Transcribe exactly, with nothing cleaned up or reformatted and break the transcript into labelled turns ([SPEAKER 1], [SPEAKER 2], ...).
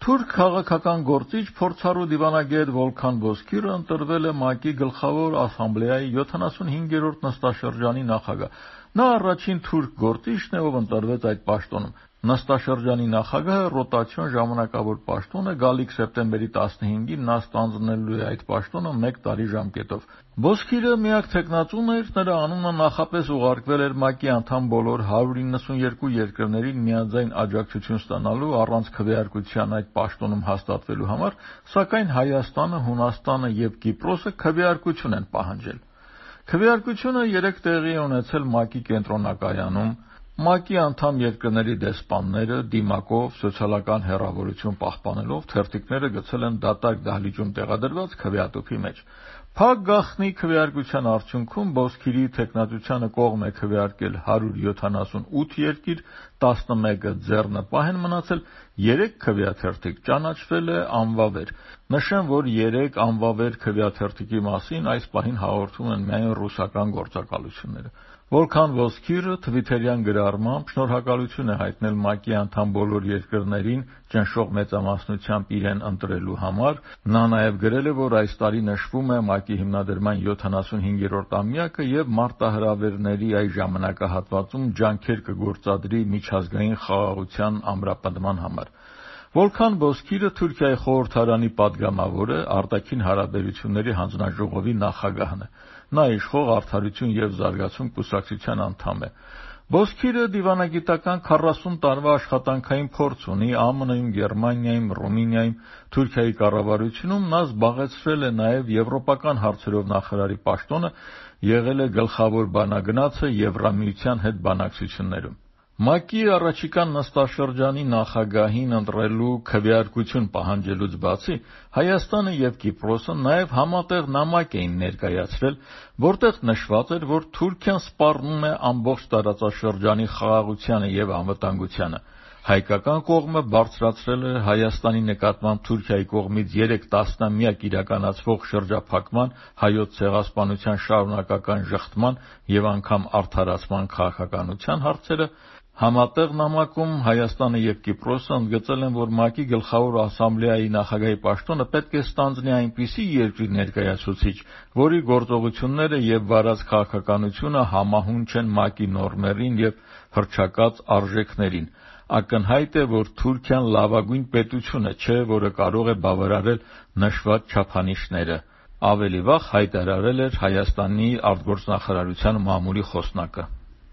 [SPEAKER 1] Թուրք քաղաքական գործիչ փորձառու դիվանագետ Վոլքան Բոզքիրը ընտրվել է ՄԱԿ-ի Գլխավոր ասամբլեայի յոթանասունհինգերորդ նստաշրջանի նախագահ։ Նա առաջին թուրք գործիչն է, ով ընտրվեց այդ պաշտոնում։ Նստաշրջանի նախագահը ռոտացիոն ժամանակավոր պաշտոն է, գալիք սեպտեմբերի տասնհինգին նա ստանձնելու է այդ պաշտոնը մեկ տարի ժամկետով։ Բոզքիրը միակ թեկնածուն էր, նրա անունը նախապես ուղարկվել էր ՄԱԿ-ի անդամ բոլոր հարյուր իննսունյերկու երկրներին միաձայն աջակցություն ստանալու առանց քվեարկության այդ պաշտոնում հաստատվելու համար, սակայն Հայաստանը, Հունաստանը և Կիպրոսը քվեարկություն են պահանջել։ Քվեարկությունը երեկ տեղի է ունեցել ՄԱԿ-ի կենտրոնակայանում։ ՄԱԿ-ի անդամ երկրների դեսպանները դիմակով սոցիալական հեռավորություն պահպանելով թերթիկները գցել են դատարկ դահլիճում տեղադրված քվեատուփի մեջ։ Փակ գաղտնի քվեարկության արդյունքում Բոզքիրի թեկնածությանը կողմ է քվեարկել հարյուր յոթանասունութ երկիր, տասնմեկը ձեռնպահ են մնացել, երեք քվեաթերթիկ ճանաչվել է անվավեր։ Նշեմ, որ երեք անվավեր քվեաթերթիկի մասին այս պահին հաղորդում են միայն ռուսական գործակալությունները։ Վոլքան Բոզքիրը թվիթերյան գրառմամբ շնորհակալություն է հայտնել ՄԱԿ-ի անդամ բոլոր երկրներին ճնշող մեծամասնությամբ իրեն ընտրելու համար։ Նա նաև գրել է, որ այս տարի նշվում է ՄԱԿ-ի հիմնադրման յոթանասունհինգերորդամյակը և մարտահրավերների այս ժամանակահատվածում ջանքեր կգործադրի միջազգային խաղաղության ամրապնդման համար։ Վոլքան Բոզքիրը Թուրքիայի խորհրդարանի պատգամավոր է, արտաքին հարաբերությունների հանձնաժողովի նախագահն է։ Նա իշխող Արդարություն և զարգացում կուսակցության անդամ է։ Բոզքիրը դիվանագիտական քառասուն տարվա աշխատանքային փորձ ունի ԱՄՆ-ում, Գերմանիայում, Ռումինիայում, Թուրքիայի կառավարությունում նա զբաղեցրել է նաև եվրոպական հարցերով նախարարի պաշտոնը, եղել է գլխավոր բանագնացը Եվրամիության հետ բանակցություններում։ ՄԱԿ-ի առաջիկա նստաշրջանի նախագահին ընտրելու քվեարկություն պահանջելուց բացի Հայաստանը և Կիպրոսը նաև համատեղ նամակ էին ներկայացրել, որտեղ նշված էր, որ Թուրքիան սպառնում է ամբողջ տարածաշրջանի խաղաղությանը և անվտանգությանը։ Հայկական կողմը բարձրացրել է Հայաստանի նկատմամբ Թուրքիայի կողմից երեք տասնամյակ իրականացվող շրջափակման, Հայոց ցեղասպանության շարունակական ժխտման և անգամ արդարացման քաղաքականության հարցերը։ Համատեղ նամակում Հայաստանը և Կիպրոսը ընդգծել են, որ ՄԱԿ-ի Գլխավոր ասամբլեայի նախագահի պաշտոնը պետք է ստանձնի այնպիսի երկրի ներկայացուցիչ, որի գործողությունները և վարած քաղաքականությունը համահունչ են ՄԱԿ-ի նորմերին և հռչակած արժեքներին։ Ակնհայտ է, որ Թուրքիան լավագույն պետությունը չէ, որը կարող է բավարարել նշված չափանիշները, ավելի վաղ հայտարարել էր Հայաստանի արտգործնախարարության մամուլի խոսնակը։